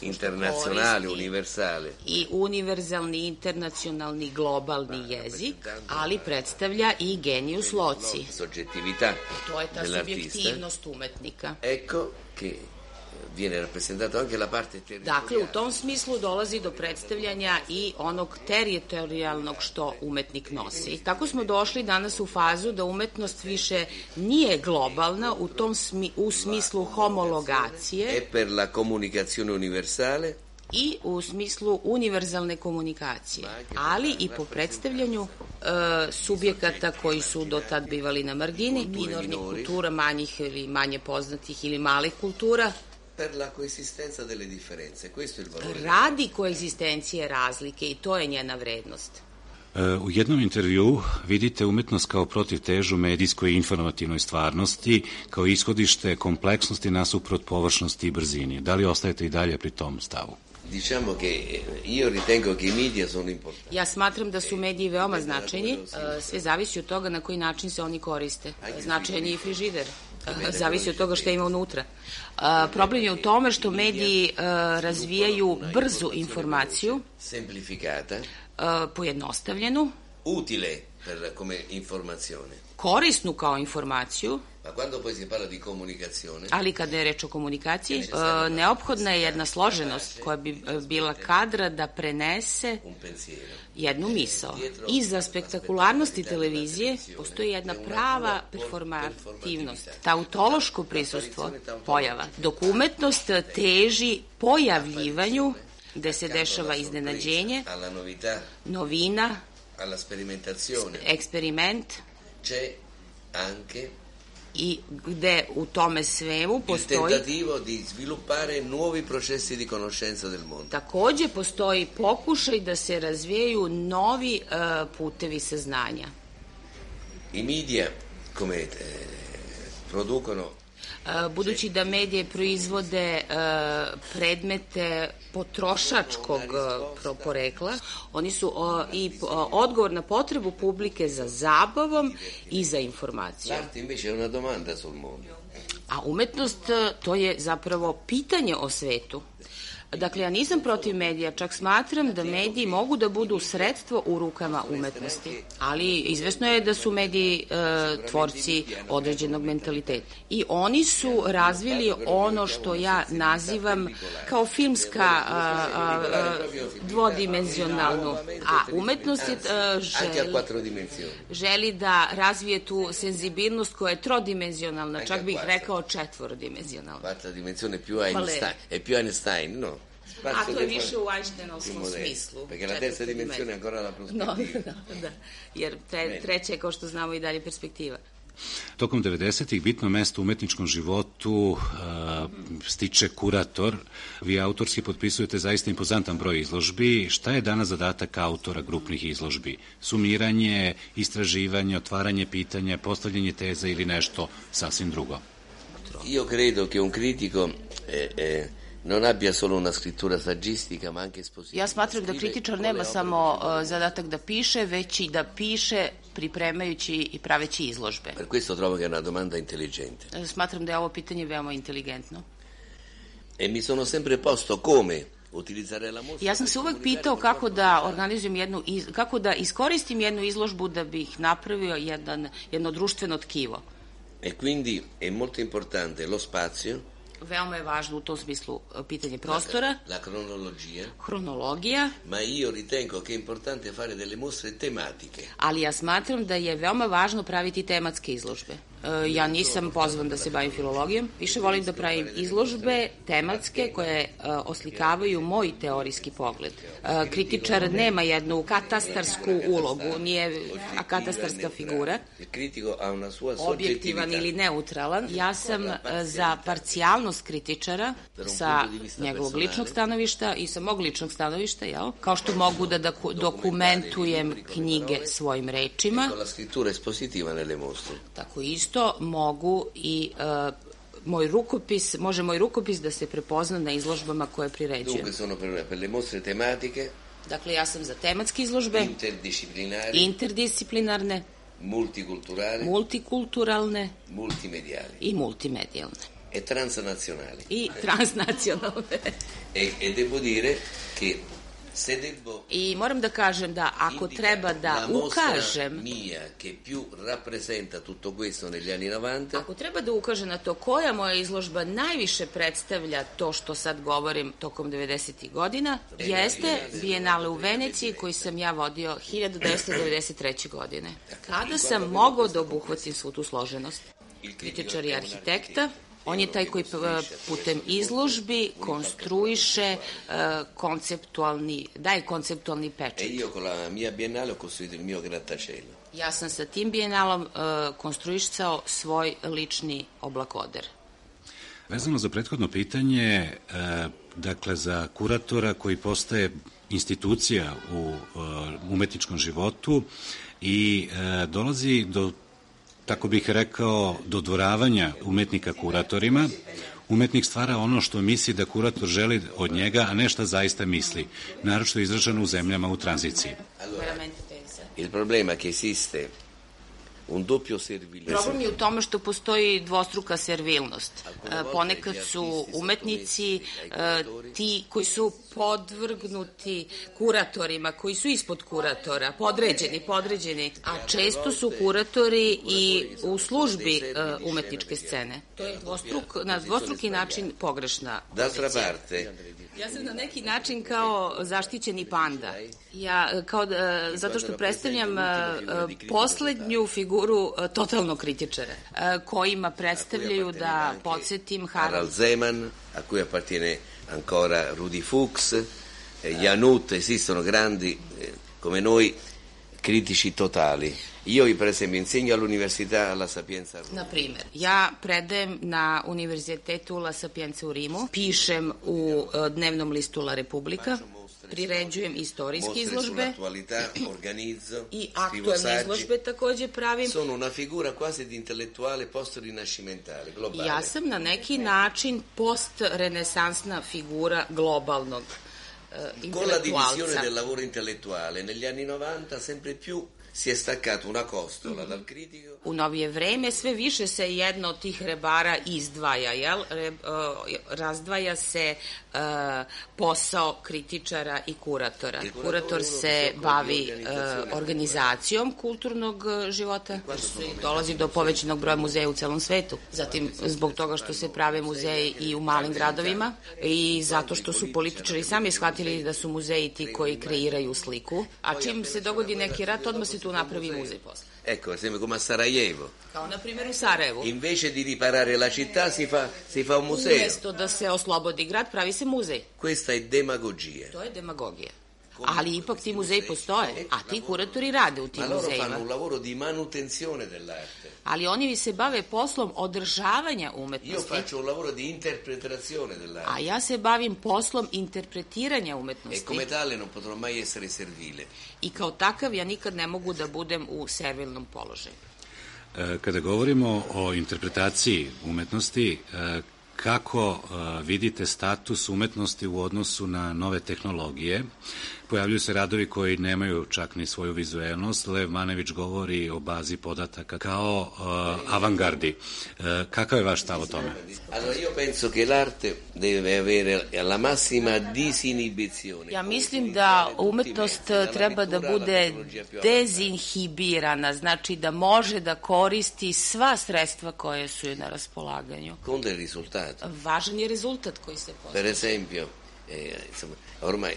internazionale, universale, i univerzalni, internacionalni, globalni jezik, ali predstavlja i genius loci. Soggettività. To je ta subjektivnost umetnika. Ecco che viene rappresentato anche la parte territoriale. Dakle, u tom smislu dolazi do predstavljanja i onog teritorijalnog što umetnik nosi. Tako smo došli danas u fazu da umetnost više nije globalna u tom smi, u smislu homologacije. E per la comunicazione universale. I u smislu univerzalne komunikacije, ali i po predstavljanju subjekata koji su do tad bivali na margini, minornih kultura, manjih ili manje poznatih ili malih kultura, per la coesistenza delle differenze. Questo è il valore. Radi koegzistencije razlike i to je njena vrednost. U jednom intervjuu vidite umetnost kao protivtežu medijskoj i informativnoj stvarnosti, kao ishodište kompleksnosti nasuprot površnosti i brzini. Da li ostajete i dalje pri tom stavu? Diciamo che io ritengo che i media sono importanti. Ja smatram da su mediji veoma značajni, sve zavisi od toga na koji način se oni koriste. Značajan je i frižider. Zavisi od toga što ima unutra. Problem je u tome što mediji razvijaju brzu informaciju, semplificata, pojednostavljenu, utile per come informazione, korisnu kao informaciju, ma quando poi si parla di comunicazione, ali kada je reč o komunikaciji, neophodna je jedna složenost koja bi bila kadra da prenese jednu misao. Iza spektakularnosti televizije postoji jedna prava performativnost, tautološko prisustvo pojava, dok umetnost teži pojavljivanju gde se dešava iznenađenje, novina, eksperiment, i gde u tome svemu postoji il tentativo di sviluppare nuovi processi di conoscenza del mondo. Takođe postoji pokušaj da se razvijaju novi uh, putevi saznanja. I media come eh, producono budući da medije proizvode predmete potrošačkog porekla, oni su i odgovor na potrebu publike za zabavom i za informacijom. A umetnost, to je zapravo pitanje o svetu. Dakle, ja nisam protiv medija, čak smatram da mediji mogu da budu sredstvo u rukama umetnosti, ali izvesno je da su mediji e, tvorci određenog mentaliteta. I oni su razvili ono što ja nazivam kao filmska a, a, a, dvodimenzionalnu, a umetnost je a, želi, želi da razvije tu senzibilnost koja je trodimenzionalna, čak bih rekao četvorodimenzionalna. Quarta dimensione più Einstein, è più Einstein, no? A to je više u Einsteinovskom smislu. Perché la terza dimensione è ancora la prospettiva. No, da, da, jer tre, treća je, kao što znamo, i dalje perspektiva. Tokom devedesetih bitno mesto u umetničkom životu uh, stiče kurator. Vi autorski potpisujete zaista impozantan broj izložbi. Šta je danas zadatak autora grupnih izložbi? Sumiranje, istraživanje, otvaranje pitanja, postavljanje teza ili nešto sasvim drugo? Io credo che un critico eh, eh, non abbia solo una scrittura saggistica, ma anche espositiva. Ja smatram da kritičar nema samo uh, zadatak da piše, već i da piše pripremajući i praveći izložbe. Per questo trovo che è una domanda intelligente. Smatram da je ovo pitanje veoma inteligentno. E mi sono sempre posto come ja sam se uvek pitao kako da organizujem jednu, kako da iskoristim jednu izložbu da bih napravio jedan, jedno društveno tkivo. E quindi è molto importante lo spazio. Veoma je važno u tom smislu pitanje prostora, la cronologia, hronologija, ma io ritengo che è importante fare delle mostre tematiche. Ali ja smatram da je veoma važno praviti tematske izložbe. Ja nisam pozvan da se bavim filologijom, više volim da pravim izložbe tematske koje oslikavaju moj teorijski pogled. Kritičar nema jednu katastarsku ulogu, nije katastarska figura, objektivan ili neutralan. Ja sam za parcijalnost kritičara sa njegovog ličnog stanovišta i sa mog ličnog stanovišta, jel? Kao što mogu da dokumentujem knjige svojim rečima, tako isto mogu i uh, moj rukopis, može moj rukopis da se prepozna na izložbama koje priređujem. Dunque sono per, per le mostre tematiche. Dakle, ja sam za tematske izložbe, interdisciplinari, interdisciplinarne, multikulturali, multikulturalne, multimediali i multimedijalne. E transnazionali. I transnacionalne. e, e devo dire che I moram da kažem da ako treba da ukažem ako treba da ukažem na to koja moja izložba najviše predstavlja to što sad govorim tokom devedesetih godina, jeste Bijenale u Veneciji koji sam ja vodio hiljadu devetsto devedeset treće. godine. Kada sam mogao da obuhvatim svu tu složenost. Kritičar i arhitekta, On je taj koji putem izložbi konstruiše konceptualni, daje konceptualni pečat. E io con la mia biennale ho costruito il mio grattacielo. Ja sam sa tim bijenalom konstruisao svoj lični oblakoder. Vezano za prethodno pitanje, dakle za kuratora koji postaje institucija u umetničkom životu i dolazi do, tako bih rekao, dodvoravanja umetnika kuratorima, umetnik stvara ono što misli da kurator želi od njega, a ne šta zaista misli, naročito izraženo u zemljama u tranziciji. Il problema è che esiste un doppio servilizmo. Problem je u tome što postoji dvostruka servilnost. Ponekad su umetnici ti koji su podvrgnuti kuratorima, koji su ispod kuratora, podređeni, podređeni, a često su kuratori i u službi umetničke scene. To je dvostruk, na dvostruki način pogrešna pozicija. Ja sam na neki način kao zaštićeni panda. Ja, kao, zato što predstavljam poslednju figuru totalnog kritičara, kojima predstavljaju, da podsjetim, Harald Zeman, a cui appartiene ancora Rudi Fuchs, Janut, esistono grandi come noi critici totali. Io, per esempio, insegno all'università La Sapienza. Na primer, ja predajem na univerzitetu La Sapienza u Rimu, pišem u dnevnom listu La Repubblica, priređujem istorijske izložbe i aktualne izložbe takođe pravim. Sono una figura quasi di intellettuale post-rinascimentale, globale. Ja sam na neki način post-renesansna figura globalnog uh, intelektualca. Con la divisione del lavoro intellettuale, negli anni novanta sempre più si è staccato una costola dal critico. U novije vreme sve više se jedno od tih rebara izdvaja, jel? Re, uh, razdvaja se uh, posao kritičara i kuratora. Kurator se bavi uh, organizacijom kulturnog života, dolazi do povećanog broja muzeja u celom svetu. Zatim, zbog toga što se prave muzeji i u malim gradovima i zato što su političari sami shvatili da su muzeji ti koji kreiraju sliku, a čim se dogodi neki rat, odmah se tu napravi muzej posle. Ecco, per esempio come a Sarajevo. Kao na primjer u Sarajevu. Invece di riparare la città si fa, si fa un museo. Umesto da se oslobodi grad, pravi se muzej. Questa è demagogia. To je demagogija. Ali ipak ti muzeji postoje, a ti kuratori rade u tim muzejima. Ma loro muzejima. fanno un lavoro di manutenzione dell'arte. Ali oni se bave poslom održavanja umetnosti. Io faccio un lavoro di interpretazione dell'arte. A ja se bavim poslom interpretiranja umetnosti. E come tale non potrò mai essere servile. I kao takav ja nikad ne mogu da budem u servilnom položaju. Kada govorimo o interpretaciji umetnosti, kako vidite status umetnosti u odnosu na nove tehnologije? Pojavljuju se radovi koji nemaju čak ni svoju vizuelnost. Lev Manević govori o bazi podataka kao uh, avangardi. Uh, kakav je vaš stav o tome? Allora, io penso che l'arte deve avere la massima disinibizione. Ja mislim da umetnost treba da bude dezinhibirana, znači da može da koristi sva sredstva koje su joj na raspolaganju. Con del risultato. Važan je rezultat koji se postiže. Per esempio, eh, insomma, ormai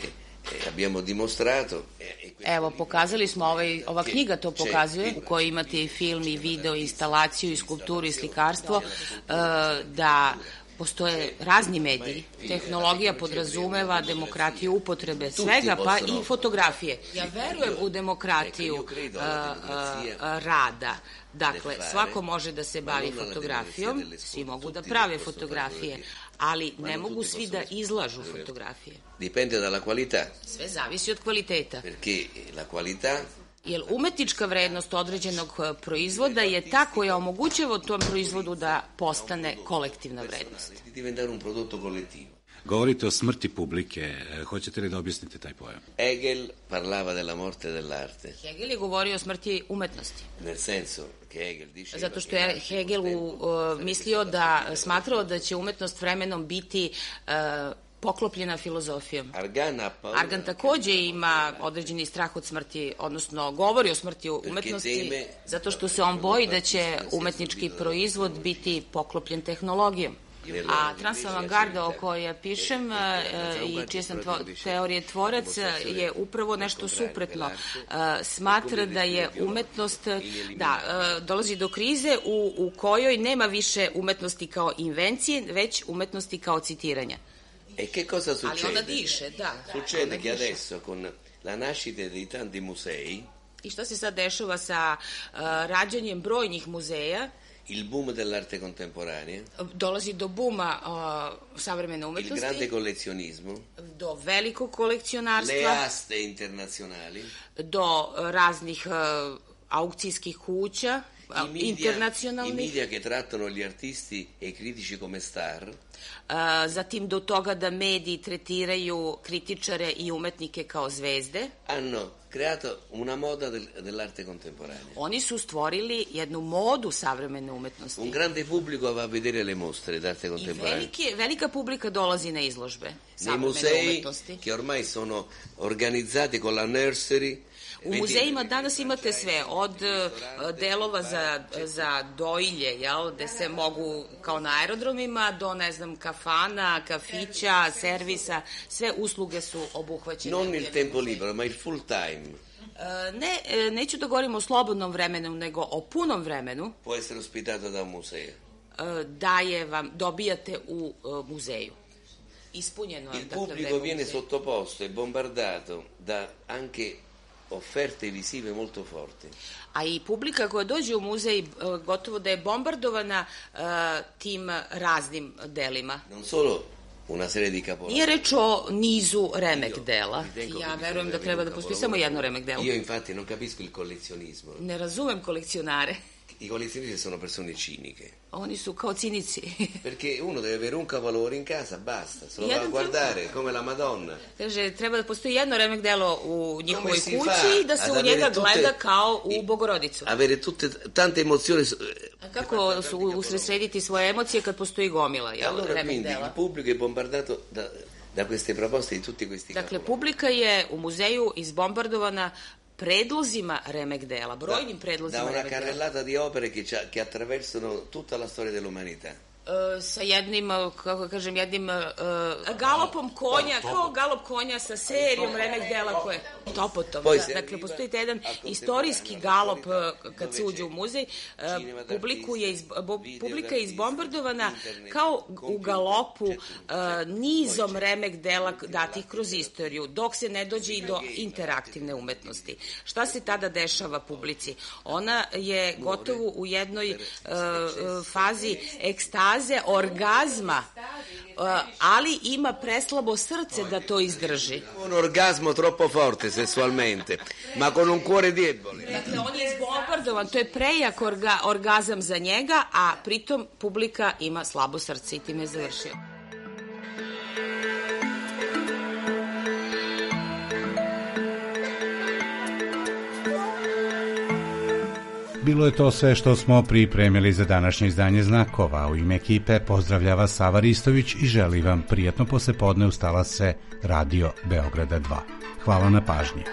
abbiamo dimostrato. Evo, pokazali smo, ovaj, ova knjiga to pokazuje, u kojoj imate i film, i video, i instalaciju, i skulpturu, i slikarstvo, da postoje razni mediji. Tehnologija podrazumeva demokratiju upotrebe svega, pa i fotografije. Ja verujem u demokratiju rada. Dakle, svako može da se bavi fotografijom, svi mogu da prave fotografije, ali ne mogu svi da izlažu fotografije. Dipende dalla qualità. Sve zavisi od kvaliteta. Perché la qualità jer umetnička vrednost određenog proizvoda je ta koja omogućava tom proizvodu da postane kolektivna vrednost. Diventare un prodotto collettivo. Govorite o smrti publike. Hoćete li da objasnite taj pojam? Hegel parlava della morte dell'arte. Hegel je govorio o smrti umetnosti. Nel senso che Hegel dice zato što je Hegel uh, mislio da, smatrao da će umetnost vremenom biti uh, poklopljena filozofijom. Argan takođe ima određeni strah od smrti, odnosno govori o smrti umetnosti, zato što se on boji da će umetnički proizvod biti poklopljen tehnologijom. A transavangarda o kojoj ja pišem i čije sam teorije tvorac je upravo nešto suprotno. Smatra da je umetnost, da, dolazi do krize u, u kojoj nema više umetnosti kao invencije, već umetnosti kao citiranja. E che cosa succede? Ali ona diše, da. Succede che adesso con la nascita di tanti musei. I šta se sad dešava sa uh, rađanjem brojnih muzeja? Il boom dell'arte contemporanea. Dolazi do buma uh, savremene umetnosti. Il grande collezionismo. Do velikog kolekcionarstva. Le aste internazionali. Do uh, raznih uh, aukcijskih kuća. I media, internacionalnih. I media che trattano gli artisti e i critici come star. Uh, zatim do toga da mediji tretiraju kritičare i umetnike kao zvezde. Hanno creato una moda del, dell'arte contemporanea. Oni su stvorili jednu modu savremene umetnosti. Un grande pubblico va a vedere le mostre d'arte contemporanea. I velike, velika publika dolazi na izložbe savremene musei umetnosti. Che ormai sono organizzati con la nursery. U muzejima danas imate sve, od delova za, za dojilje, jel, gde se mogu, kao na aerodromima, do, ne znam, kafana, kafića, servisa, sve usluge su obuhvaćene. Non il tempo libero, ma il full time. Ne, neću da govorim o slobodnom vremenu, nego o punom vremenu. Può essere ospitato da un museo. Daje vam, dobijate u muzeju. Ispunjeno je. Il pubblico viene sottoposto e bombardato da anche offerte visive molto forti. A i publika koja dođe u muzej gotovo da je bombardovana uh, tim raznim delima. Non solo una serie di capolavori. Nije reč o nizu remek dela. Ja verujem da treba da postoji samo jedno remek delo. Io infatti non capisco il collezionismo. Ne razumem kolekcionare. I collezionisti sono persone ciniche. Oni su kao cinici. Perché uno deve avere un capolavoro in casa, basta, se lo va a guardare come la Madonna. Kaže, treba da postoji jedno remek delo u njihovoj kući i da se u njega gleda kao u Bogorodicu. Avere tutte tante emozioni. A kako su usredsrediti svoje emocije kad postoji gomila, jel, allora, remek quindi, dela? Il pubblico è bombardato da, da queste proposte di tutti questi Dakle, publika je u muzeju izbombardovana predlozima remek dela, brojnim predlozima remek dela. Da una carrellata di opere che, che attraversano tutta la storia dell'umanità. Uh, sa jednim, kako kažem, jednim uh, galopom konja, kao galop konja sa serijom remek dela koje... Topotom, da. Dakle, postoji jedan istorijski galop kad se uđe u muzej. Uh, publiku je iz, bo, publika je izbombardovana kao u galopu uh, nizom remek dela datih kroz istoriju, dok se ne dođe i do interaktivne umetnosti. Šta se tada dešava publici? Ona je gotovo u jednoj uh, fazi ekstaze, orgazma, ali ima preslabo srce da to izdrži. Un orgasmo troppo forte sessualmente, ma con un cuore debole. Dakle, on je izbombardovan, to je prejak orga, orgazam za njega, a pritom publika ima slabo srce i time je završio. Bilo je to sve što smo pripremili za današnje izdanje Znakova. U ime ekipe pozdravljava Sava Ristović i želi vam prijatno poslepodne uz talase Radio Beograda dva. Hvala na pažnji.